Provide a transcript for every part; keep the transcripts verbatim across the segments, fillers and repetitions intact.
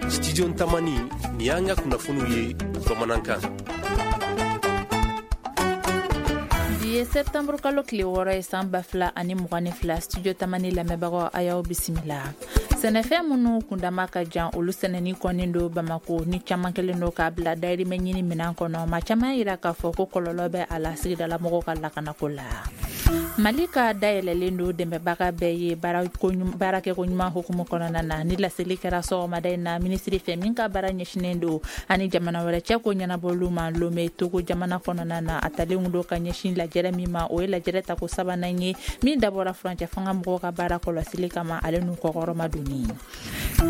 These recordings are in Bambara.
Studio Tamani, nin y'an ka kunnafoniw ye bamanankan. Bi ye septembre kalo tile wɔɔrɔ ye, san ba fila ani mugan ni fila. Studio Tamani lamɛnbagaw, a y'aw bisimila. Sɛnɛfɛn minnu kundama ka jan, olu sɛnɛni kɔnnen don Bamako, ni caman kelen don k'a bila dayirimɛ ɲini minan kɔnɔ. Ma caman yira k'a fɔ ko kɔlɔlɔ bɛ a la sigidalamɔgɔw ka lakanako la. Mali ka dayɛlɛlen don dɛmɛbaga bɛɛ ye baarakɛko ɲuman hukumu kɔnɔna na. Ni laseli kɛra sɔgɔmada in na minisiri fɛ min ka baara ɲɛsinen don ani jamana wɛrɛ cɛ ko ɲɛnabɔliw ma, Lome, Togo jamana kɔnɔna na. A talen don ka ɲɛsin lajɛrɛ min ma, o ye lajɛrɛ tako sabanan ye min dabɔra furancɛ fanga mɔgɔw ka baara kɔlɔsili kama, ale n'u kɔkɔrɔma donni.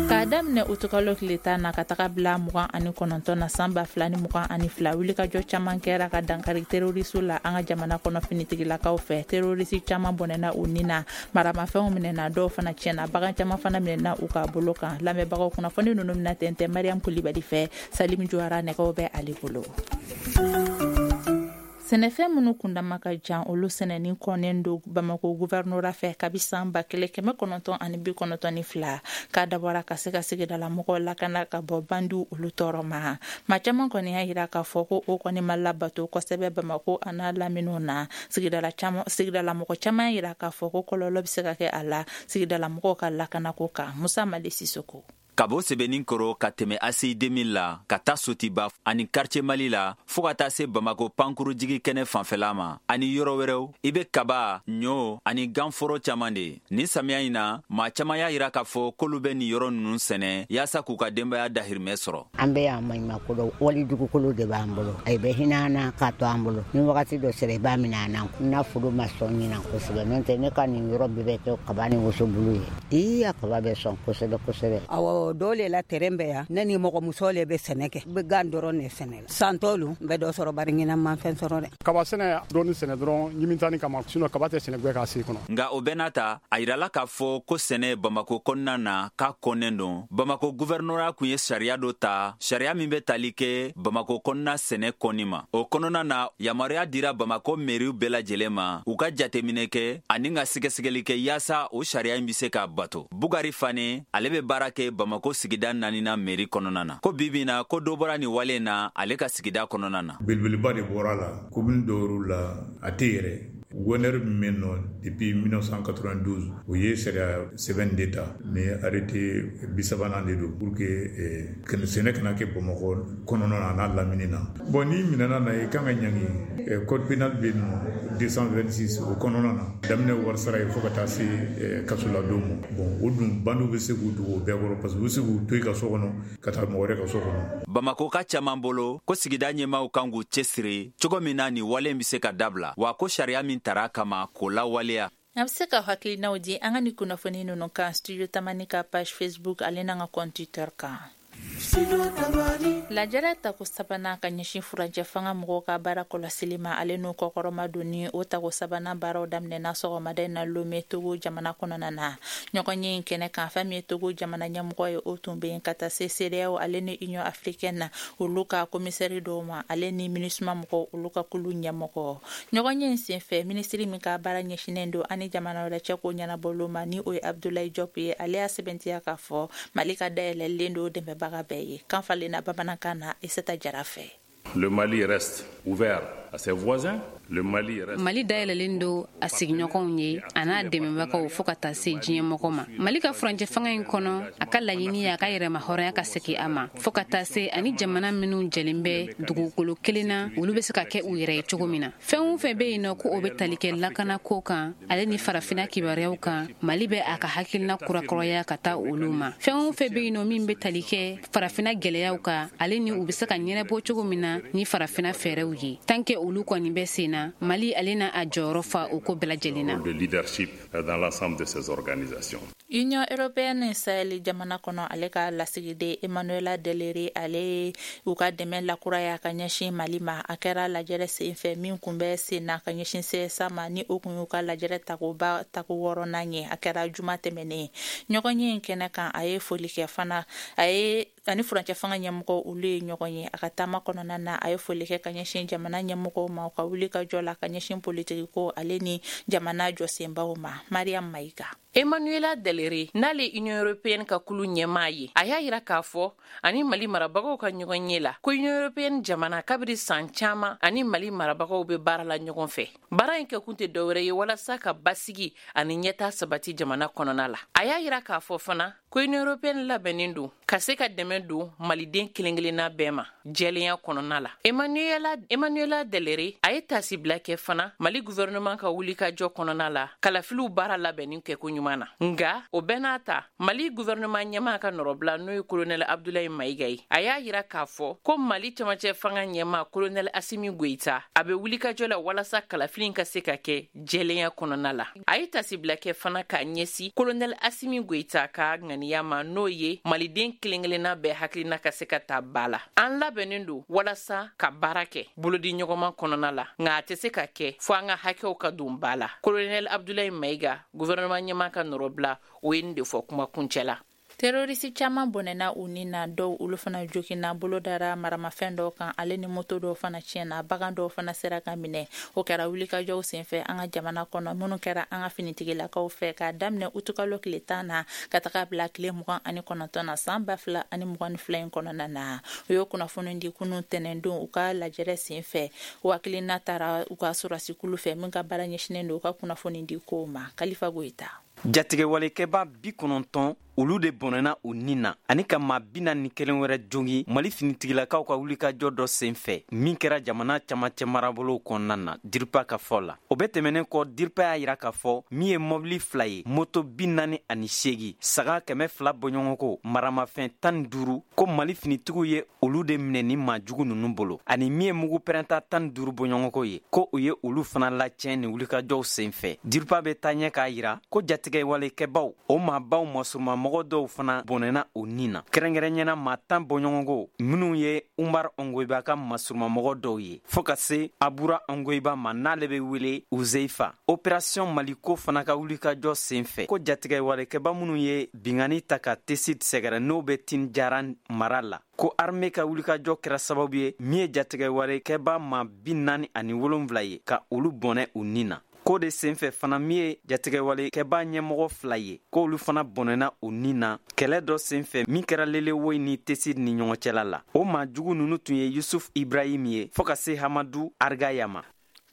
K'a daminɛ utukalo tile tan na ka taga bila mugan ani kɔnɔntɔn na, san ba fila ni mugan ani fila, wulikajɔ caman kɛra ka dankari terorisiw la an ka jamana kɔnɔ. Finitigilakaw fɛ, terorisi caman bɔnɛna u ni na, maramafɛnw minɛna, dɔw fana tiɲɛna, bagan caman fana minɛna u ka bolo kan. Lamɛnbagaw, kunnafoni ninnu bɛna tɛntɛn Mariam Kulibali fɛ. Salim Juwara nɛgɛw bɛ ale bolo. Sɛnɛfɛn minnu kundama ka jan, olu sɛnɛni kɔnnen don Bamako guvɛrnora fɛ kabi san ba kelen kɛmɛ kɔnɔntɔn ani bi kɔnɔntɔn ni fila, k'a dabɔra ka se ka sigidala mɔgɔw lakana ka bɔ bandiw olu tɔɔrɔ ma. Maa caman kɔni y'a yira k'a fɔ ko o kɔni ma labato kosɛbɛ Bamako a n'a laminiw na. Sigidala caman, sigidala mɔgɔ caman y'a yira k'a fɔ ko kɔlɔlɔ bɛ se ka kɛ a la sigidala mɔgɔw ka lakanako kan. Musa Mali Sisoko. Ka bɔ Sɛbɛnnin kɔrɔ ka tɛmɛ A C I deux mille la, ka taa Sotiba ani Quartier Mali la, fɔɔ ka taa se Bamako pankurujigi kɛnɛ fanfɛla ma ani yɔrɔ wɛrɛw, i be kaba, ɲɔ ani ganforo caaman de. Nin samiya in na, maa caaman y'a yira k'a fɔ k'olu bɛ nin yɔrɔ nunu sɛnɛ yaasa k'u ka denbaya dahirimɛ sɔrɔ. An bɛ yan maɲumakolo wali dugukolo de b'an bolo. A bɛ hinɛ an na k'a to an bolo. Ni wagati dɔ sera, i b'a minɛ an na. N foro ma sɔn ɲinan kosɛbɛ, n'o tɛ ne ka nin yɔrɔ bɛɛ bɛ kɛ kaba ni wosobulu ye. Ii, a kaba bɛ sɔn kosɛbɛ kosɛbɛ. Awɔ, dɔw le la terrain bɛ yan. Ne ni mɔgɔmuso le bɛ sɛnɛ kɛ, n bɛ gan dɔrɔn de sɛnɛ la. San tɔlu n bɛ dɔ sɔrɔ, bari ɲinan ma fɛn sɔrɔ dɛ. Kaba sɛnɛ, dɔɔni sɛnɛ dɔrɔn ɲimitani kama, sinon kaba tɛ sɛnɛ gbɛ k'a se kɔnɔ. Nga o bɛɛ n'a ta, a yirala k'a fɔ ko sɛnɛ Bamako kɔnɔna na, k'a kɔnnen don. Bamako guvɛrnora kun ye sariya dɔ ta, sariya min bɛ tali kɛ Bamako kɔnɔna sɛnɛ kɔni ma. O kɔnɔna na, yamaruya dira Bamako meriw bɛɛ lajɛlen ma, u ka jateminɛ kɛ ani ka sɛgɛsɛgɛli kɛ yaasa o sariya in be se ka bato. Bugari Fane, ale be baara kɛ Bamako sigida naanina meri kɔnɔna na, ko bibi na ko dɔ bɔra nin wale na ale ka sigida kɔnɔna na. Belebeleba de bɔra la commune dɔw la, a tɛ yɛrɛ. Gouverneur min bɛ nɔ depuis mille neuf cent quatre-vingt-douze, o ye sariya sɛbɛn de ta ni arrêté bi sabanan de don pour que sɛnɛ kana kɛ Bamakɔ kɔnɔna na n'a lamini na. Bon, n'i minɛna na, i kan ka ɲangi. Code pénal bɛ yen nɔ, deux cent vingt-six, o kɔnɔna na, daminɛ wari sara ye fo ka taa se kasoladon ma. Bon, o dun, bandiw bɛ se k'u dogo o bɛɛ kɔrɔ, parce que u bɛ se k'u to i ka so kɔnɔ ka taa mɔgɔ wɛrɛ ka so kɔnɔ. Bamako ka caaman bolo ko sigida ɲɛmaw kan k'u cɛsiri cogo min na nin wale bɛ se ka dabila, wa ko sariya min tara kama, k'o lawaleya. A bɛ se ka hakilinaw di an ka ni kunnafoni ninnu kan Studio Tamani ka page Facebook ale n'an ka compte Twitter kan. Lajɛrɛ tako sabanan ka ɲɛsin furancɛ fanga mɔgɔw ka baara kɔlɔsili ma, ale n'u kɔkɔrɔma donni, o tako sabanan baaraw daminɛna sɔgɔmada in na Lome, Togo jamana kɔnɔna na. Ɲɔgɔn ye in kɛnɛ kan, fɛn min ye Togo jamana ɲɛmɔgɔ ye, o tun bɛ yen, ka taa se CEDEAO ale ni Union africaine na olu ka komisɛri dɔw ma, ale ni MINUSMA mɔgɔw olu ka kulu ɲɛmɔgɔ. Ɲɔgɔn ye in senfɛ, minisiri min ka baara ɲɛsinnen don ani jamana wɛrɛ cɛ ko ɲɛnabɔliw ma, ni o ye Abdoulaye Diop ye, ale y'a sɛbɛntiya k'a fɔ Mali ka dayɛlɛlen don dɛmɛbaga bɛɛ ye. Kan falenna bamanankan na Isata Jara fɛ. Le Mali reste ouvert à ses voisins. Le Mali reste Mali dayɛlɛlen don a sigiɲɔgɔnw ye a n'a dɛmɛbagaw, fɔɔ ka taa se diɲɛmɔgɔ ma. Mali ka furancɛ fanga in kɔnɔ, a ka laɲini ye a ka yɛrɛma hɔrɔnya ka segi a ma, fɔɔ ka taa se ani jamana minw jɛlen bɛ dugukolo kelen na, olu be se ka kɛ u yɛrɛ ye cogo min na. Fɛn o fɛn be yen nɔ ko o be tali kɛ lakanako kan, ale ni farafina kibaruyaw kan, Mali bɛ a ka hakilina kurakɔrɔya ka taa olu ma. Fɛn o fɛn be yen nɔ min be tali kɛ farafina gwɛlɛyaw kan, ale ni u be se ka ɲɛnabɔ cogo min na ni farafina fɛɛrɛw ye, tant que olu kɔni bɛ sen na, Mali ale na a jɔyɔrɔ fa o ko bɛɛ lajɛlen na. De leadership dans l'ensemble de ces organisations. Union européenne Sahel jamana kɔnɔ, ale ka lasigiden Emmanuela Deleri, ale u ka dɛmɛ lakuraya ka ɲɛsin Mali ma. A kɛra lajɛrɛ sen fɛ min kun bɛ sen na ka ɲɛsin C S A ma, ni o kun y'u ka lajɛrɛ takoba tako wɔɔrɔnan ye. A kɛra juma tɛmɛnen. Ɲɔgɔn ye in kɛnɛ kan, a ye foli kɛ fana, a ye ani furancɛ fanga ɲɛmɔgɔ olu ye ɲɔgɔn ye. A ka taama kɔnɔna na, a ye foli kɛ ka ɲɛsin jamana ɲɛmɔgɔw ma, u ka wuli ka jɔ la ka ɲɛsin politiki ko ale ni jamana jɔsenbaw ma. Mariam Mayiga. Emmanuela Delere, n'ale Union européenne ka kulu ɲɛmaa ye, a y'a yira k'a fɔ ani Mali marabagaw ka ɲɔgɔn ye la ko Union européenne jamana kabiri san caman ani Mali marabagaw bɛ baara la ɲɔgɔn fɛ. Baara in kɛkun tɛ dɔwɛrɛ ye walasa ka basigi ani ɲɛtaa sabati jamana kɔnɔna la. A y'a yira k'a fɔ fana ko Union européenne labɛnnen don ka se ka dɛmɛ don maliden kelen-kelenna bɛɛ ma jɛlenya kɔnɔna la. Emmanuela Emmanuela Delere a ye tasibila kɛ fana Mali gouvernement ka wulikajɔ kɔnɔna la kalafiliw baara labɛnni kɛko ɲuman na. Nga o bɛɛ n'a ta, Mali gouvernement ɲɛmaa ka nɔrɔbila, n'o ye colonel Abdoulaye Maïga ye, a y'a yira k'a fɔ ko Mali cɛmancɛ fanga ɲɛmaa colonel Assimi Goïta a bɛ wulikajɔ la walasa kalafili ka se ka kɛ jɛlenya kɔnɔna la. A ye tasibila kɛ fana k'a ɲɛsin colonel Assimi Goïta ka ŋaniya ma, n'o ye maliden kelen-kelenna bɛɛ hakilina ka se ka ta ba la. An labɛnnen don walasa ka baara kɛ bolodi ɲɔgɔnma kɔnɔna la, nka a tɛ se ka kɛ fo an ka hakɛw ka don ba la. Colonel Abdoulaye Maïga, gouvernement ɲɛmaa ka nɔrɔbila, o ye nin de fɔ kuma kuncɛ la. Terroriste caman bɔnɛna u ni na, dɔw olu fana joginna, bolo dara maramafɛn dɔw kan, ale ni moto dɔw fana tiɲɛna, bagan dɔw fana sera ka minɛ. O kɛra wulikajɔw senfɛ an ka jamana kɔnɔ minnu kɛra an ka finitigilakaw fɛ k'a daminɛ utukalo tile tan na ka taga bila tile mugan ani kɔnɔntɔn na san ba fila ani mugan ni fila in kɔnɔna na. U ye kunnafoni di kunun tɛnɛndon u ka lajɛrɛ senfɛ. O hakilina taara u ka sɔrɔdasikulu fɛ min ka baara ɲɛsinnen don u ka kunnafoni di kow ma. Kalifa Goyita. Jatigɛwalekɛba bi kɔnɔntɔn olu de bɔnɛna u nin na ani ka maa bi naani ni kelen wɛrɛ jongi Mali finitigilakaw ka wulikajɔ dɔ sen fɛ min kɛra jamana camancɛ marabolow kɔnɔna na, DIRPA ka fɔ la. O bɛɛ tɛmɛnen kɔ, DIRPA y'a yira k'a fɔ min ye mɔbili fila ye, moto bi naani ani seegin, saga kɛmɛ fila bɔɲɔgɔnko, maramafɛn tan ni duuru, ko Mali finitigiw ye olu de minɛ ni maa jugu ninnu bolo, ani min ye mugu pɛrɛnta tan ni duuru bɔɲɔgɔnko ye, ko u ye olu fana lacɛn ni wulikajɔw sen fɛ. DIRPA bɛ taa ɲɛ k'a yira ko jatigɛwalekɛbaw o maabaw masuruma mɔgɔ dɔw fana bɔnɛna u nin na, kɛrɛnkɛrɛnyana maa tan bɔɲɔgɔnko minnu ye Umar Ongoyiba ka masurumamɔgɔ dɔw ye, fɔɔ ka se Abura Ongoyiba ma n'ale bɛ wele Uzeifa. Opération Maliko fana ka wulikajɔ sen fɛ, ko jatigɛwalekɛba minnu ye bingani ta ka Tesit sɛgɛrɛ n'o bɛ Tinjara mara la, ko armée ka wulikajɔ kɛra sababu ye min ye jatigɛwalekɛba maa bi naani ani wolonwula ye ka olu bɔnɛ u nin na. Ko de senfɛ fana min ye jatigɛwalekɛba ɲɛmɔgɔ fila ye, k'olu fana bɔnɛna u nin na kɛlɛ dɔ senfɛ min kɛra Lelewoyi ni Tesit ni ɲɔgɔn cɛla la. O maa jugu ninnu tun ye Yusuf Ibrahim ye fɔɔ ka se Hamadu Argaya ma.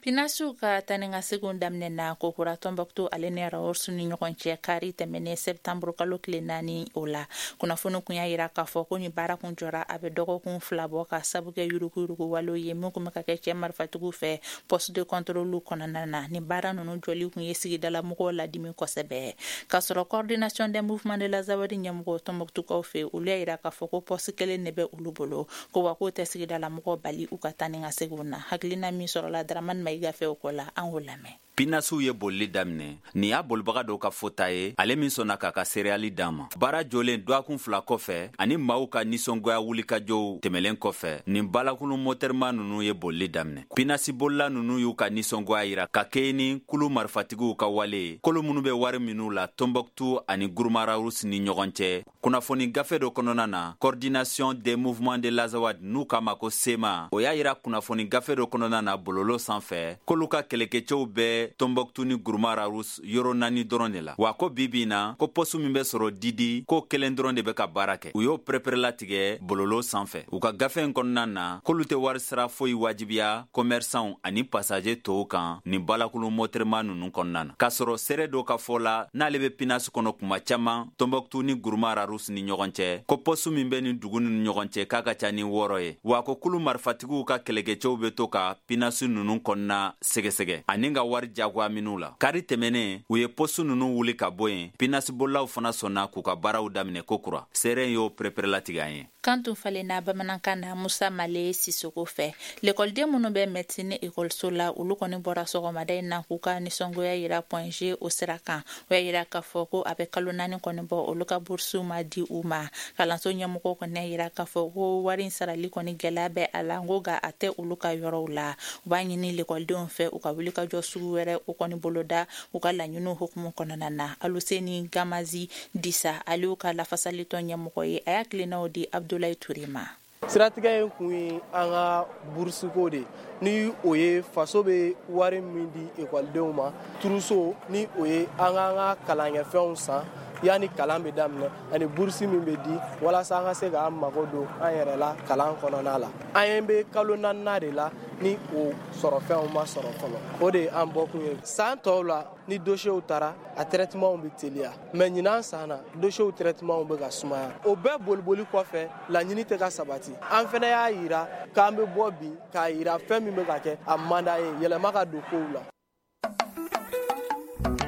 Pinasiw ka tani ka seginw daminɛ na kokura Tombouctou ale ni Rharous ni ɲɔgɔn cɛ kari tɛmɛnen septembre kalo tile naani. O la kunnafoni kun y'a yira k'a fɔ ko ni baara kun jɔra a bɛ dɔgɔkun fila bɔ ka sabu kɛ yuruguyurugu walew ye min kun bɛ ka kɛ cɛ marifatigiw fɛ poste de contrôle kɔnɔna na. Ni baara ninnu jɔli kun ye sigidala mɔgɔw ladimi kosɛbɛ. K'a sɔrɔ coordination des mouvements de l'Azawad ɲɛmɔgɔ Tombouctoukaw fɛ, olu y'a yira k'a fɔ ko poste kelen de bɛ olu bolo, ko wa k'o tɛ sigidala mɔgɔw bali u ka taa ni ka seginw na. Hakilina min sɔrɔla Dramane Maïga fɛ o ko la, an k'o lamɛn. Pinasiw ye bolili daminɛ. Nin y'a bolibaga dɔw ka fɔta ye, ale min sɔnna k'a ka seereyali d'an ma. Baara jɔlen dɔgɔkun fila kɔfɛ ani maaw ka nisɔngoya wulikajɔw tɛmɛlen kɔfɛ, nin balakulu mɔtɛrima ninnu ye bolili daminɛ. Pinasi bolila ninnu y'u ka nisɔngoya yira ka kɛɲɛ ni kulu marifatigiw ka wale ye, kolo minnu bɛ wari minnu la Tombouctou ani Gourma Rharous ni ɲɔgɔn cɛ. Kunnafoni gafe dɔ kɔnɔna na, coordination des mouvements de l'Azawad n'u k'a ma ko SEMA, o y'a yira kunnafoni gafe dɔ kɔnɔna na bololo sanfɛ k'olu ka kɛlɛkɛcɛw bɛɛ Tombouctou ni Gourma Rharous yɔrɔ naani dɔrɔn de la. Wa ko bi bi na ko poste min bɛ sɔrɔ Didi, ko kelen dɔrɔn de bɛ ka baara kɛ. U y'o pɛrɛpɛrɛlatigɛ bololo sanfɛ. U ka gafe in kɔnɔna na, k'olu tɛ wari sara foyi wajibiya commerçants ani passager tɔw kan nin balakulu mɔtɛrima ninnu kɔnɔna na. K'a sɔrɔ seere dɔ ka fɔ la n'ale bɛ Pinasi kɔnɔ kuma caman Tombouctou ni Gourma Rharous ni ɲɔgɔn cɛ, ko poste min bɛ nin dugu ninnu ɲɔgɔn cɛ k'a ka ca ni wɔɔrɔ ye. Wa ko kulu marifatigiw ka kɛlɛkɛcɛw bɛ to ka Pinasi ninnu kɔnɔna sɛgɛsɛgɛ ani ka wari jagoya minnu la. Kari tɛmɛnen u ye poste ninnu wuli ka bɔ yen. Pinasi bolilaw fana sɔnna k'u ka baaraw daminɛ kokura. Seere y'o pɛrɛpɛrɛlatigɛ an ye. Kan tun falenna bamanankan na Musa Male Sisoko fɛ. Lekɔliden minnu bɛ médecine ekɔliso la, olu kɔni bɔra sɔgɔmada in na k'u ka nisɔngoya yira Point G o sira kan. O y'a yira k'a fɔ ko a bɛ kalo naani kɔni bɔ, olu ka bourse ma di u ma. Kalanso ɲɛmɔgɔw kɔni y'a yira k'a fɔ ko wari in sarali kɔni gɛlɛya bɛ a la, ko nka a tɛ olu ka yɔrɔw la. U b'a ɲini lekɔlidenw fɛ u ka wuli ka jɔ sugu wɛrɛ o kɔni boloda u ka laɲiniw hukumu kɔnɔna na. Aluseni Gamazi Disa, ale y'u ka lafasalitɔn ɲɛmɔgɔ ye, a y'a tilennaw di Abdoulaye Touré ma. Siratigɛ in kun ye an ka burusuko de ni o ye faso bɛ wari min di ekɔlidenw ma trousseau ni o ye an k'an ka kalankɛfɛnw san yanni kalan bɛ daminɛ ani burusi min bɛ di walasa an ka se k'an mago don an yɛrɛ la kalan kɔnɔna la. An ye bɛ kalo naaninan de la ni o sɔrɔfɛnw ma sɔrɔ fɔlɔ, o de ye an bɔkun ye. San tɔw la ni dossierw taara a traitement bɛ teliya, mais ɲinan san na dossierw traitement bɛ ka sumaya. O bɛɛ boliboli kɔfɛ laɲini tɛ ka sabati. An fana y'a yira k'an bɛ bɔ bi k'a yira fɛn min bɛ ka kɛ a man d'an ye, yɛlɛma ka don kow la.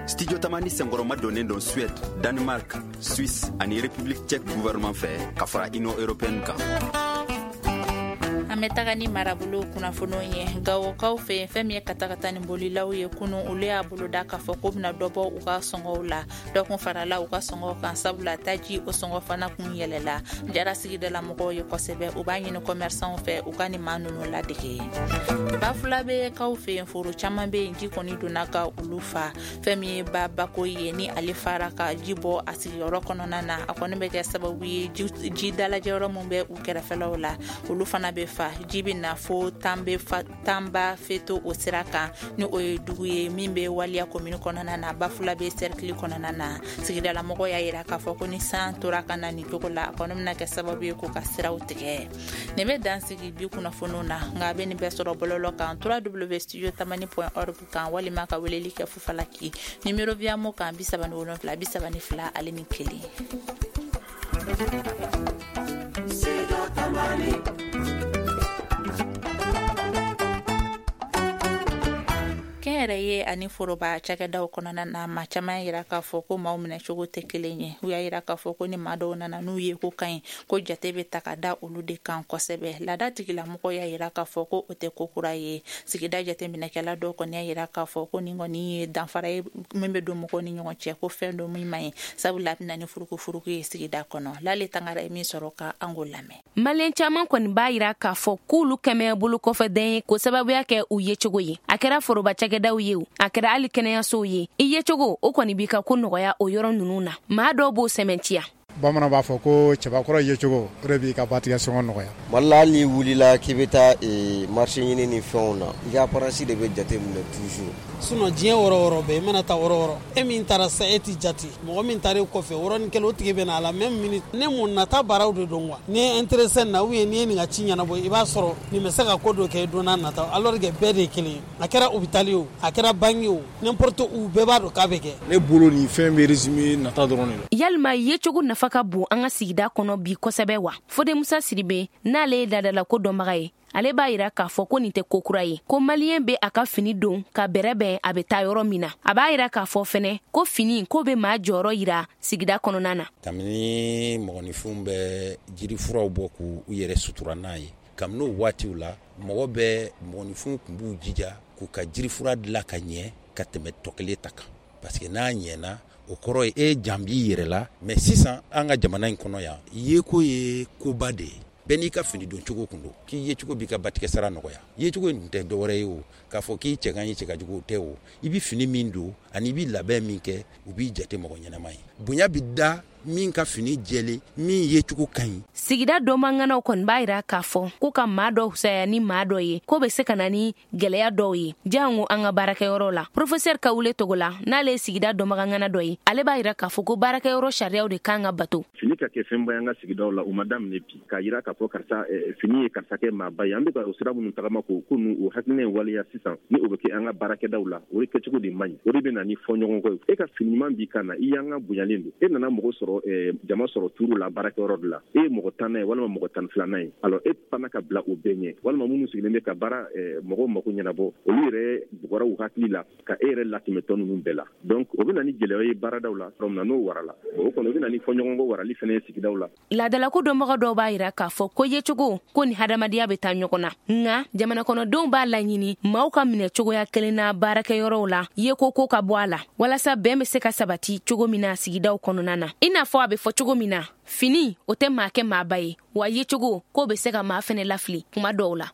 Studio Tamani senkɔrɔma donnen don Suède, Danemark, Suisse ani République tchèque gouvernement fɛ ka fara Union européenne kan. An bɛ taga ni marabolo kunnafoniw ye. Gawokaw fɛ yen, fɛn min ye katakata ni bolilaw ye kunun, olu y'a boloda k'a fɔ k'u bɛna dɔ bɔ u ka sɔngɔw la. Dɔ kun farala u ka sɔngɔw kan, sabula taji o sɔngɔ fana kun yɛlɛla. Jara sigidala mɔgɔw ye kosɛbɛ, u b'a ɲini commerçants fɛ u ka nin maa ninnu ladege. Bafulabe kaw fɛ yen, foro caman bɛ yen, ji kɔni donna ka olu fa. Fɛn min ye ba bako ye, ni ale fara ka ji bɔ a sigiyɔrɔ kɔnɔna na, a kɔni bɛ kɛ sababu ye ji dalajɛyɔrɔ min bɛ u kɛrɛfɛlaw la, olu fana bɛ fa. Ji bɛ na fo Tanba Feto o sira kan, ni o ye dugu ye min bɛ waliya komini kɔnɔna na, Bafulabe cercle kɔnɔna na. Sigidalamɔgɔw y'a yira k'a fɔ ko ni san tora ka na nin cogo la, a kɔni bɛna kɛ sababu ye k'u ka siraw tigɛ. Nin bɛ dan sigi bi kunnafoniw na, nka a bɛ nin bɛɛ sɔrɔ bɔlɔlɔ kan w w w point studio tamani point org kan, walima ka weleli kɛ Fufalaki numéro Viamo kan bi saba ni wolonwula bi saba ni fila ale ni kelen. Kɛnyɛrɛye ani foroba cakɛdaw kɔnɔna na, maa caman yira k'a fɔ ko maaw minɛcogo tɛ kelen ye. U y'a yira k'a fɔ ko ni maa dɔw nana n'u ye ko ka ɲi, ko jate bɛ ta ka da olu de kan kosɛbɛ. Laada tigilamɔgɔw y'a yira k'a fɔ ko o tɛ ko kura ye. Sigida jateminɛkɛla dɔw kɔni y'a yira k'a fɔ ko nin kɔni ye danfara ye min bɛ don mɔgɔw ni ɲɔgɔn cɛ, ko fɛn dɔ min man ɲi, sabula a bɛ na ni furukufuruku ye sigida kɔnɔ. Lale Tangara ye min sɔrɔ ka an k'o lamɛn. Maliyɛn caman kɔni b'a yira k'a fɔ k'olu kɛmɛ bolo kɔfɛden ye k'o sababuya kɛ u yecogo ye. A kɛra foroba cakɛdaw ye o, a kɛra hali kɛnɛyasow ye, i yecogo o kɔni b'i ka ko nɔgɔya o yɔrɔ ninnu na. Maa dɔw b'o sɛmɛntiya. Bamanan b'a fɔ ko cɛbakɔrɔ yecogo o de b'i ka batigɛ sɔngɔ nɔgɔya. Mali la, hali n'i wulila k'i bɛ taa marché ɲini ni fɛnw na, i ka apparence de bɛ jate minɛ toujours. Sinon diɲɛ yɔrɔ yɔrɔ bɛɛ, i mana taa yɔrɔ yɔrɔ, e min taara sa e t'i jate, mɔgɔ min taara e kɔfɛ yɔrɔnin kelen o tigi bɛ na à la même minute. Ne mun nata baaraw de don quoi. N'i ye intéressé na ou bien n'i ye nin ka ci ɲɛnabɔ, i b'a sɔrɔ nin bɛ se ka ko dɔ kɛ i don n'a nata, alors que bɛɛ de ye kelen ye. A kɛra hôpital ye o, a kɛra banque ye o, n'importe où, bɛɛ b'a dɔn k'a bɛ kɛ. Ne bolo nin fɛn bɛ résumé nata dɔrɔn de la. Yalima yecogo nafa ka bon an ka sigida kɔnɔ bi kosɛbɛ wa? Fode Musa Sidibe, n'ale ye laadalako dɔnbaga ye, ale b'a yira k'a fɔ ko nin tɛ ko kura ye, ko maliyɛn bɛ a ka fini don ka bɛrɛbɛn a bɛ taa yɔrɔ min na. A b'a yira k'a fɔ fɛnɛ ko fini ko bɛ maa jɔyɔrɔ yira sigida kɔnɔna na. Kabini mɔgɔninfinw bɛ jirifuraw bɔ k'u yɛrɛ sutura n'a ye, kabini o waatiw la mɔgɔ bɛ mɔgɔninfinw tun b'u jija k'u ka jirifura dilan ka ɲɛ ka tɛmɛ tɔ kelen ta kan, parce que n'a ɲɛna o kɔrɔ ye e jan b'i yɛrɛ la. Mais sisan an ka jamana in kɔnɔ yan, yeko ye koba de ye. Bɛɛ n'i ka fini don cogo kun don, k'i yecogo b'i ka batigɛ sara nɔgɔya. Yecogo in tɛ dɔwɛrɛ ye o, k'a fɔ k'i cɛ ka ɲi cɛ ka jugu o tɛ o. I bɛ fini min don ani i bɛ labɛn min kɛ, u b'i jate mɔgɔ ɲɛnama ye. Bonya bɛ da min ka fini jɛlen, min yecogo ka ɲi. Sigida dɔnbaganaw kɔni b'a yira k'a fɔ ko ka maa dɔ fisaya ni maa dɔ ye, ko bɛ se ka na ni gɛlɛya dɔw ye jango an ka baarakɛyɔrɔ la. Professeur Kawule Togola, n'ale ye sigida dɔnbagangana dɔ ye, ale b'a yira k'a fɔ ko baarakɛyɔrɔ sariyaw de kan ka bato. Fini ka kɛ fɛnba ye an ka sigidaw la, o ma daminɛ bi. K'a yira k'a fɔ karisa fini ye karisa kɛ maaba ye, an bɛ ka o sira minnu tagama k'o ko ninnu o hakilina in waleya sisan, ni o bɛ kɛ an ka baarakɛdaw la, o de kɛcogo de man ɲi. O de bɛ na ni fɔɲɔgɔnkɔ ye. E ka fini ɲuman b'i kan na, i y'an ka bonyalen don, e nana mɔgɔ sɔrɔ jama sɔrɔ turu la baarakɛyɔrɔ de la, e ye mɔgɔ tannan ye walima mɔgɔ tan filanan ye, alors e fana ka bila o bɛɛ ɲɛ, walima minnu sigilen bɛ ka baara mɔgɔw mako ɲɛnabɔ, olu yɛrɛ bugɔra u hakili la ka e yɛrɛ latɛmɛ tɔ ninnu bɛɛ la. Donc o bɛ na ni gɛlɛya ye baaradaw la, yɔrɔ min na n'o warala, o kɔni o bɛ na ni fɔɲɔgɔnkɔ warali fana ye sigidaw la. Laadalako dɔnbaga dɔw b'a yira k'a fɔ ko yecogo ko ni hadamadenya bɛ taa ɲɔgɔn na, nka jamana kɔnɔdenw b'a laɲini maaw ka minɛ cogoya kelen na baarakɛyɔrɔw la, yeko ko ka bɔ a la, walasa bɛn bɛ se ka sabati cogo min na sigidaw kɔnɔna na. I n'a fɔ a bɛ fɔ cogo min na, fini o tɛ maa kɛ maaba ye, wa yecogo k'o bɛ se ka maa fɛnɛ lafili kuma dɔw la.